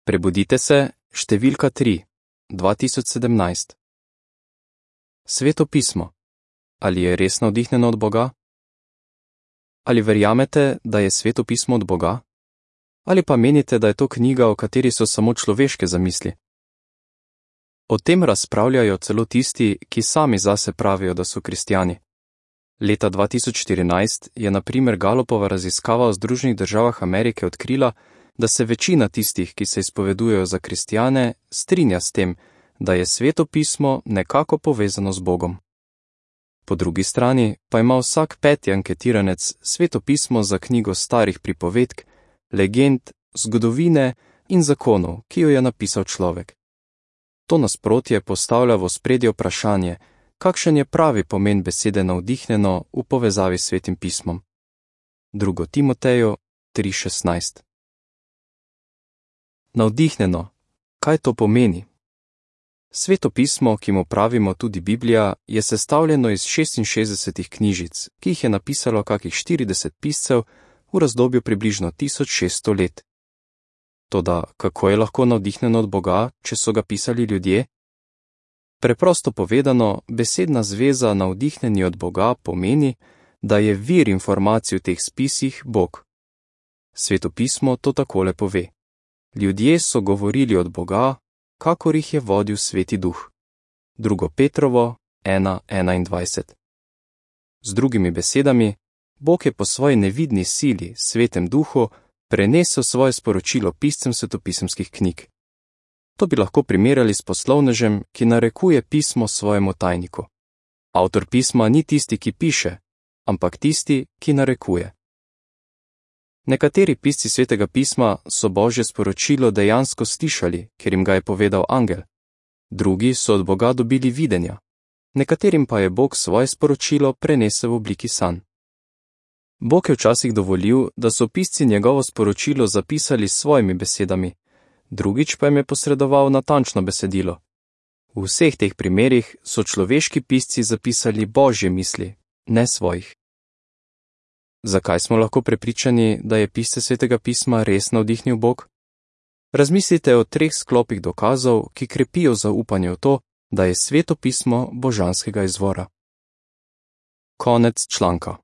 Prebudite se, številka 3, 2017. Sveto pismo. Ali je res navdihnjeno od Boga? Ali verjamete, da je Sveto pismo od Boga? Ali pa menite, da je to knjiga, o kateri so samo človeške zamisli? O tem razpravljajo celo tisti, ki sami zase pravijo, da so kristjani. Leta 2014 je na primer Gallupova raziskava v Združenih državah Amerike odkrila, da se večina tistih, ki se izpovedujejo za kristjane, strinja s tem, da je Sveto pismo nekako povezano z Bogom. Po drugi strani pa ima vsak peti anketiranec Sveto pismo za knjigo starih pripovedk, legend, zgodovine in zakonov, ki jo je napisal človek. To nasprotje postavlja v ospredje vprašanje, kakšen je pravi pomen besede navdihnjeno v povezavi s Svetim pismom. 2. Timoteju 3:16. Navdihnjeno. Kaj to pomeni? Sveto pismo, ki mu pravimo tudi Biblija, je sestavljeno iz 66 knjižic, ki jih je napisalo kakih 40 piscev v razdobju približno 1600 let. Toda, kako je lahko navdihnjeno od Boga, če so ga pisali ljudje? Preprosto povedano, besedna zveza navdihnjeni od Boga pomeni, da je vir informacij v teh spisih Bog. Sveto pismo to takole pove. Ljudje so govorili od Boga, kakor jih je vodil Sveti Duh. 2. Petrovo 1:21. Z drugimi besedami, Bog je po svoji nevidni sili, Svetem Duhu, prenesel svoje sporočilo piscem svetopisemskih knjig. To bi lahko primerjali s poslovnežem, ki narekuje pismo svojemu tajniku. Avtor pisma ni tisti, ki piše, ampak tisti, ki narekuje. Nekateri pisci Svetega pisma so Božje sporočilo dejansko slišali, ker jim ga je povedal angel. Drugi so od Boga dobili videnja. Nekaterim pa je Bog svoje sporočilo prenesel v obliki sanj. Bog je včasih dovolil, da so pisci njegovo sporočilo zapisali s svojimi besedami, drugič pa jim je posredoval natančno besedilo. V vseh teh primerih so človeški pisci zapisali Božje misli, ne svojih. Zakaj smo lahko prepričani, da je pisce Svetega pisma res navdihnil Bog? Razmislite o 3 sklopih dokazov, ki krepijo zaupanje v to, da je Sveto pismo božanskega izvora. Konec članka.